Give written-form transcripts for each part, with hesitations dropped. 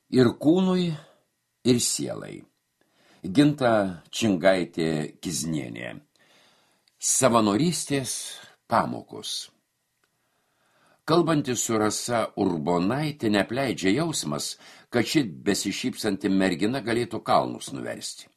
Ir kūnui, ir sielai. Ginta Čingaitė Kiznienė. Savanorystės pamokos. Kalbantis su Rasa Urbonaitė neapleidžia jausmas, kad ši besišypsanti mergina galėtų kalnus nuversti.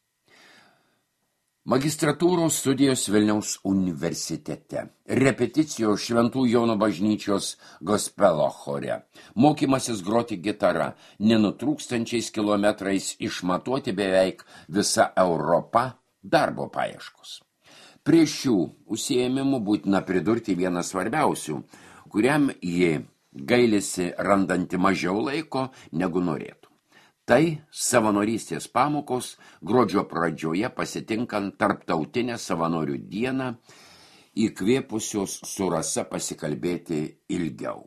Magistratūros studijos Vilniaus universitete, repeticijos Šventų Jono bažnyčios gospelo chore, mokymasis groti gitara, nenutrūkstančiais kilometrais išmatuoti beveik visa Europa, darbo paieškos. Prie šių užsiėmimų būtina pridurti vieną svarbiausių, kuriam ji gailisi randanti mažiau laiko negu norėtų. Tai savanorystės pamokos gruodžio pradžioje pasitinkant tarptautinę savanorių dieną, įkvėpusios su Rasa pasikalbėti ilgiau.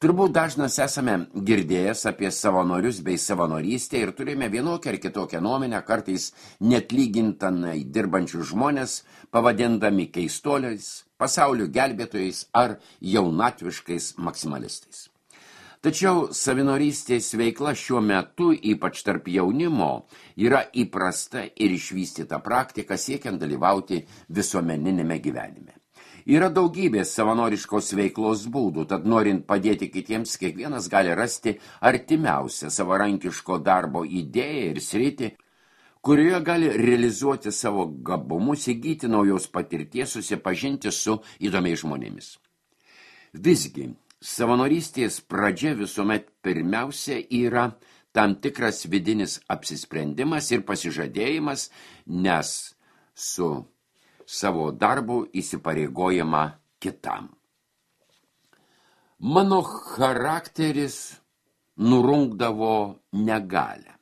Turbūt dažnas esame girdėjęs apie savanorius bei savanorystę ir turime vienokią ar kitokią nuomonę, kartais net lygintinai dirbančius žmonės, pavadindami keistuoliais, pasaulio gelbėtojais ar jaunatviškais maksimalistais. Tačiau savanorystės veikla šiuo metu, ypač tarp jaunimo, yra įprasta ir išvystyta praktika siekiant dalyvauti visuomeninėme gyvenime. Yra daugybė savanoriškos veiklos būdų, tad norint padėti kitiems, kiekvienas gali rasti artimiausią savarankiško darbo idėją ir sritį, kurioje gali realizuoti savo gabumus, įgyti naujos patirties, susipažinti su įdomiais žmonėmis. Visgi, savanorystės pradžia visuomet pirmiausia yra tam tikras vidinis apsisprendimas ir pasižadėjimas, nes su savo darbu įsipareigojama kitam. Mano charakteris nurungdavo negalią.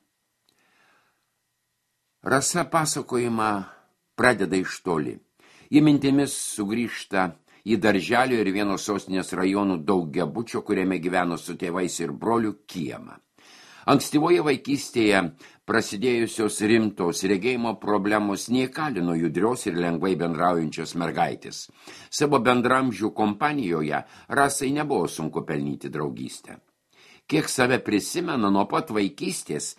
Rasa pasakojimą pradeda iš toli. Ji mintimis sugrįžta į darželio ir vieno sostinės rajonų daugiabučio, kuriame gyveno su tėvais ir broliu, kiemą. Ankstyvoje vaikystėje prasidėjusios rimtos regėjimo problemos neįkalino judrios ir lengvai bendraujančios mergaitės. Savo bendramžių kompanijoje Rasai nebuvo sunku pelnyti draugystę. Kiek save prisimena, nuo pat vaikystės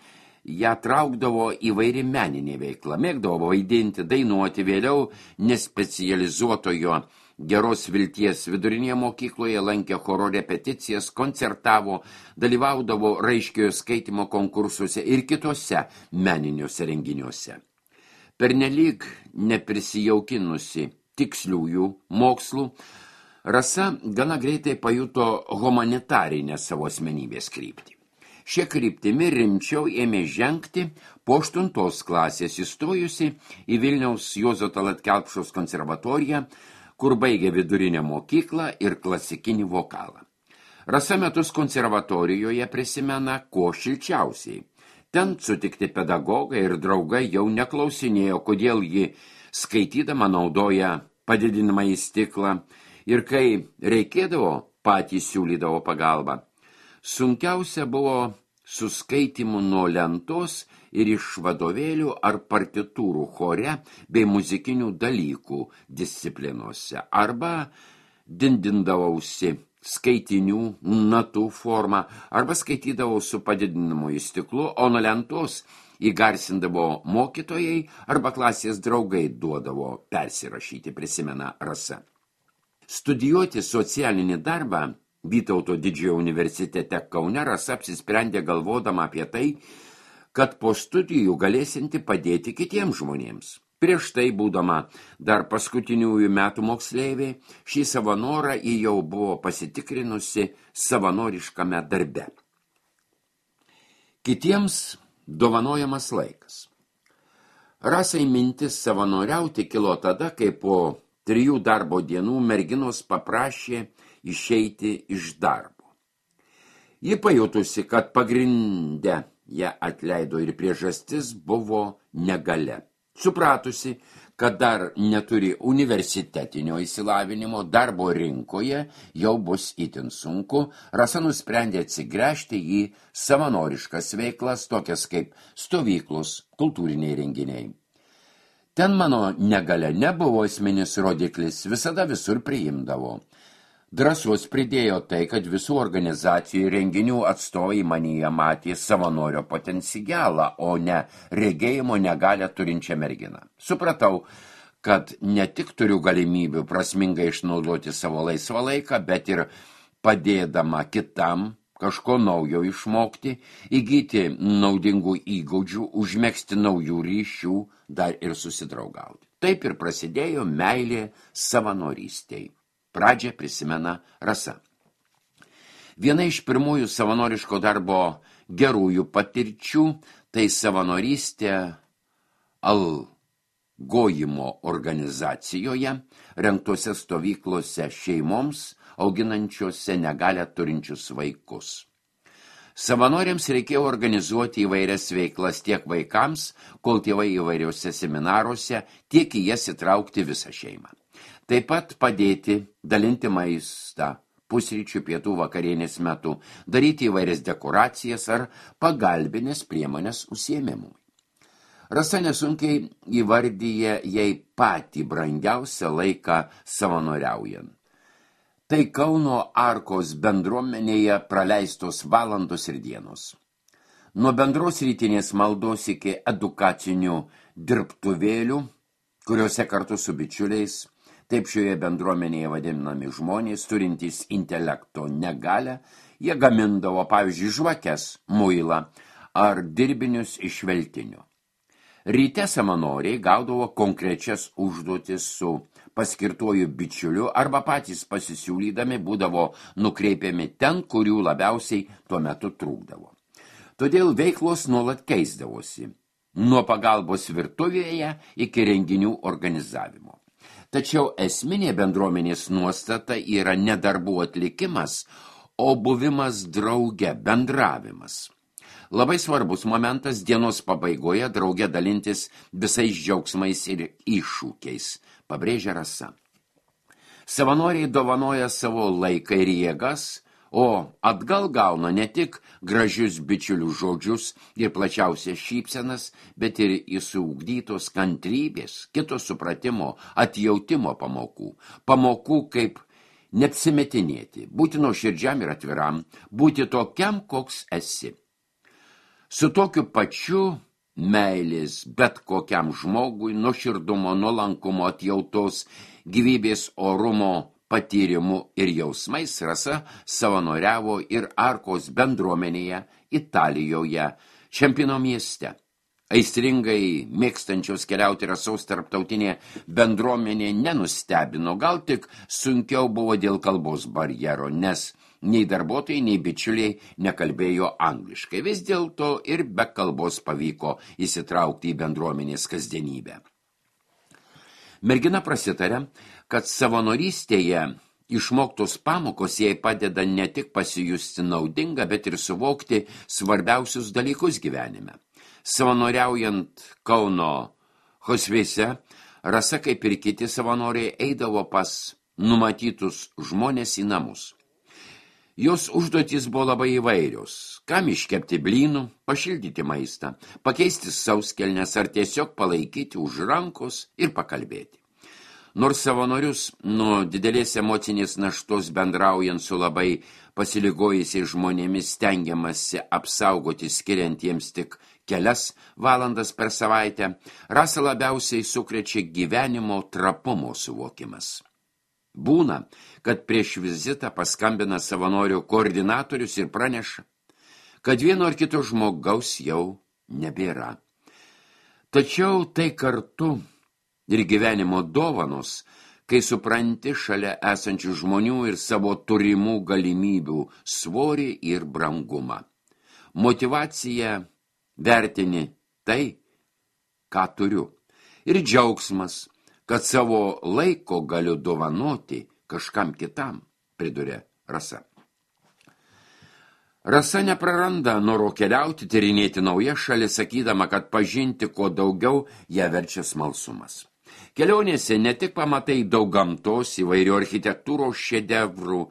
ją traukdavo įvairi meninė veikla, mėgdavo vaidinti, dainuoti, vėliau nespecializuotojo Geros Vilties vidurinėje mokykloje lankė choro repeticijas, koncertavo, dalyvaudavo raiškiojo skaitymo konkursuose ir kitose meniniuose renginiuose. Pernelyg neprisijaukinusi tiksliųjų mokslų, Rasa gana greitai pajuto humanitarinę savo asmenybės kryptį. Šia kryptimi rimčiau ėmė žengti po 8 klasės įstojusi į Vilniaus Juozo Tallat Kelpšos konservatoriją, kur baigė vidurinę mokyklą ir klasikinį vokalą. Rasa metus konservatorijoje prisimena kuo šilčiausiai. Ten sutikti pedagogai ir draugai jau neklausinėjo, kodėl ji skaitydama naudoja padidinamąjį stiklą ir kai reikėdavo, patys siūlydavo pagalbą. Sunkiausia buvo su skaitimu nuo lentos ir iš vadovėlių ar partitūrų chore bei muzikinių dalykų disciplinose, arba dindindavausi skaitinių natų formą, arba skaitydavau su padidinamuoju stiklu, o nuo lentos įgarsindavo mokytojai arba klasės draugai duodavo persirašyti, prisimena Rasa. Studijuoti socialinį darbą Vytauto Didžiojo universitete Kaune Rasa apsisprendė galvodama apie tai, kad po studijų galėsinti padėti kitiems žmonėms. Prieš tai, būdama dar paskutiniųjų metų moksleivė, šį savo norą ji jau buvo pasitikrinusi savanoriškame darbe. Kitiems dovanojamas laikas. Rasai mintis savanoriauti kilo tada, kai po 3 darbo dienų merginos paprašė išeiti iš darbo. Ji pajutusi, kad pagrindę ją atleido ir priežastis buvo negalia. Supratusi, kad dar neturi universitetinio išsilavinimo, darbo rinkoje jau bus itin sunku, Rasa nusprendė atsigręžti į savanoriškas veiklas, tokias kaip stovyklos, kultūriniai renginiai. Ten mano negalia nebuvo esminis rodiklis, visada visur priimdavo. Drąsos pridėjo tai, kad visų organizacijų ir renginių atstovai manyje matė savanorio potencialą, o ne regėjimo negalią turinčią merginą. Supratau, kad ne tik turiu galimybių prasmingai išnaudoti savo laisvą laiką, bet ir padėdama kitam kažko naujo išmokti, įgyti naudingų įgūdžių, užmegzti naujų ryšių, dar ir susidraugauti. Taip ir prasidėjo meilė savanorystei. Pradžią prisimena Rasa. Viena iš pirmųjų savanoriško darbo gerųjų patirčių tai savanorystė algojimo organizacijoje, rengtose stovyklose šeimoms, auginančiose negalią turinčius vaikus. Savanoriams reikėjo organizuoti įvairias veiklas tiek vaikams, kol tėvai įvairiuose seminaruose, tiek į jas įtraukti visą šeimą. Taip pat padėti, dalinti maistą, pusryčių, pietų, vakarienės metu, daryti įvairias dekoracijas ar pagalbinės priemonės užsiėmimui. Rasa nesunkiai įvardyja jai patį brangiausią laiką savanoriaujant. Tai Kauno Arkos bendruomenėje praleistos valandos ir dienos. Nuo bendros rytinės maldos iki edukacinių dirbtuvėlių, kuriuose kartu su bičiuliais, taip šioje bendruomenėje vadinami žmonės, turintys intelekto negalią, jie gamindavo, pavyzdžiui, žvakes, muilą ar dirbinius iš veltinio. Ryte savanoriai gaudavo konkrečias užduotis su paskirtuoju bičiuliu arba patys pasisiūlydami būdavo nukreipiami ten, kurių labiausiai tuo metu trūkdavo. Todėl veiklos nuolat keisdavosi, nuo pagalbos virtuvėje iki renginių organizavimo. Tačiau esminė bendruomenės nuostata yra ne darbų atlikimas, o buvimas drauge, bendravimas. Labai svarbus momentas dienos pabaigoje drauge dalintis visais džiaugsmais ir iššūkiais, pabrėžia Rasa. Savanoriai dovanoja savo laiką ir jėgas, o atgal gauna ne tik gražius bičiulių žodžius ir plačiausias šypsenas, bet ir įsiugdytos kantrybės, kito supratimo, atjautimo pamokų. Pamokų kaip neapsimetinėti, būti nuoširdžiam ir atviram, būti tokiam, koks esi. Su tokiu pačiu meilės bet kokiam žmogui, nuoširdumo, nuolankumo, atjautos, gyvybės orumo patyrimu ir jausmais Rasa savanoriavo ir Arkos bendruomenėje Italijoje, Čempino mieste. Aistringai mėgstančios keliauti Rasos tarptautinė bendruomenė nenustebino, gal tik sunkiau buvo dėl kalbos barjero, nes nei darbuotojai, nei bičiuliai nekalbėjo angliškai. Vis dėlto ir be kalbos pavyko įsitraukti į bendruomenės kasdienybę. Mergina prasitarė, kad savanorystėje išmoktos pamokos jai padeda ne tik pasijusti naudinga, bet ir suvokti svarbiausius dalykus gyvenime. Savanoriaujant Kauno hospise, Rasa, kaip ir kiti savanoriai, eidavo pas numatytus žmonės į namus. Jos užduotys buvo labai įvairios, kam iškepti blynų, pašildyti maistą, pakeisti sauskelnes ar tiesiog palaikyti už rankos ir pakalbėti. Nors savanorius nuo didelės emocinės naštos bendraujant su labai pasiligojusiais žmonėmis stengiamasi apsaugoti skiriant jiems tik kelias valandas per savaitę, Rasą labiausiai sukrečia gyvenimo trapumo suvokimas. Būna, kad prieš vizitą paskambina savanorių koordinatorius ir praneša, kad vieno ar kito žmogaus jau nebėra. Tačiau tai kartu ir gyvenimo dovanos, kai supranti šalia esančių žmonių ir savo turimų galimybių svorį ir brangumą. Motyvacija vertini tai, ką turiu, ir džiaugsmas, kad savo laiko galiu dovanoti kažkam kitam, priduria Rasa. Rasa nepraranda noro keliauti, tyrinėti naujas šalis, sakydama, kad pažinti kuo daugiau ją verčia smalsumas. Kelionėse ne tik pamatai daug gamtos, įvairių architektūros šedevrų,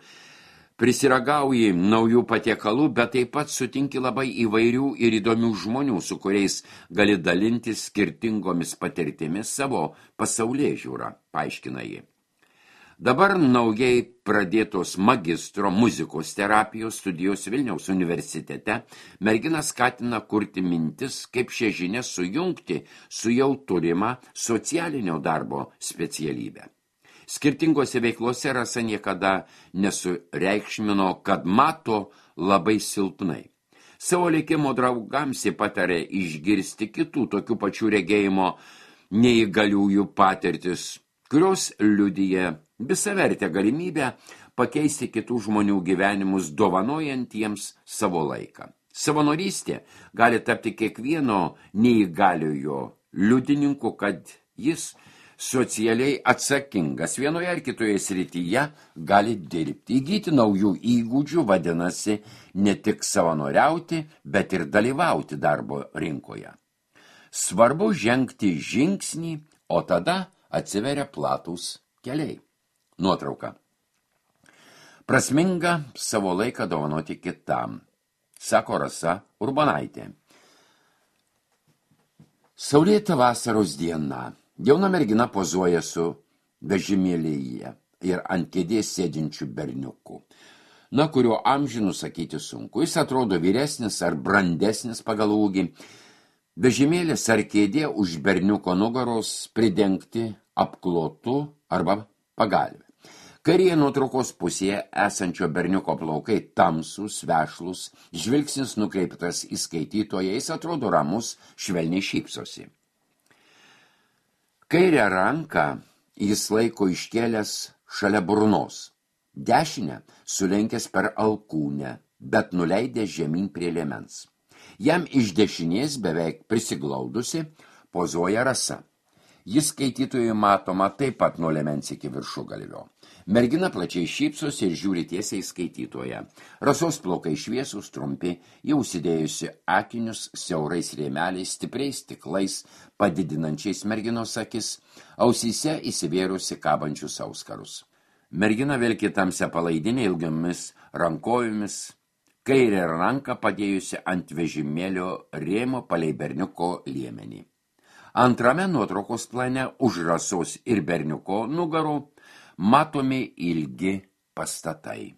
prisiragauji naujų patiekalų, bet taip pat sutinki labai įvairių ir įdomių žmonių, su kuriais gali dalintis skirtingomis patirtimis savo pasaulėžiūrą, paaiškina ji. Dabar naujai pradėtos magistro muzikos terapijos studijos Vilniaus universitete mergina skatina kurti mintis, kaip šią žinią sujungti su jau turima socialinio darbo specialybė. Skirtingose veiklose Rasa niekada nesureikšmino, kad mato labai silpnai. Savo likimo draugams ji patarė išgirsti kitų tokių pačių regėjimo neįgaliųjų patirtis, kurios liudija visavertę galimybę pakeisti kitų žmonių gyvenimus, dovanojant jiems savo laiką. Savanorystė gali tapti kiekvieno neįgaliojo liudininku, kad jis socialiai atsakingas vienoje ar kitoje srityje gali dirbti. Įgyti naujų įgūdžių vadinasi ne tik savanoriauti, bet ir dalyvauti darbo rinkoje. Svarbu žengti žingsnį, o tada atsiveria platūs keliai. Nuotrauka. Prasminga savo laiką dovanoti kitam, sako Rasa Urbonaitė. Saulėta vasaros diena. Jauna mergina pozuoja su vežimėlyje ir ant kėdės sėdinčių berniukų, kurio amžių nusakyti sunku. Jis atrodo vyresnis ar brandesnis pagal ūgį. Vežimėlis ar kėdė už berniuko nugaros pridengti apklotu arba pagalvę. Kairėje nuotraukos pusėje esančio berniuko plaukai tamsūs, vešlūs, žvilgsnis nukreiptas į skaitytoją, jis atrodo ramus, švelniai šypsosi. Kairę ranką jis laiko iškėlęs šalia burnos, dešinę sulenkęs per alkūnę, bet nuleidęs žemyn prie liemens. Jam iš dešinės beveik prisiglaudusi pozuoja Rasa. Jis skaitytojui matoma taip pat nuo liemens iki viršugalvio. Mergina plačiai šypsosi ir žiūri tiesiai skaitytoją. Rasos plaukai šviesūs, trumpi, jau užsidėjusi akinius siaurais rėmeliais, stipriais stiklais, padidinančiais merginos akis, ausyse įsivėrusi kabančius auskarus. Mergina vilki tamsią palaidinę ilgiomis rankojomis, kairę ranką padėjusi ant vežimėlio rėmo palei berniuko liemenį. Antrame nuotraukos plane už Rasos ir berniuko nugarų matomi ilgi pastatai.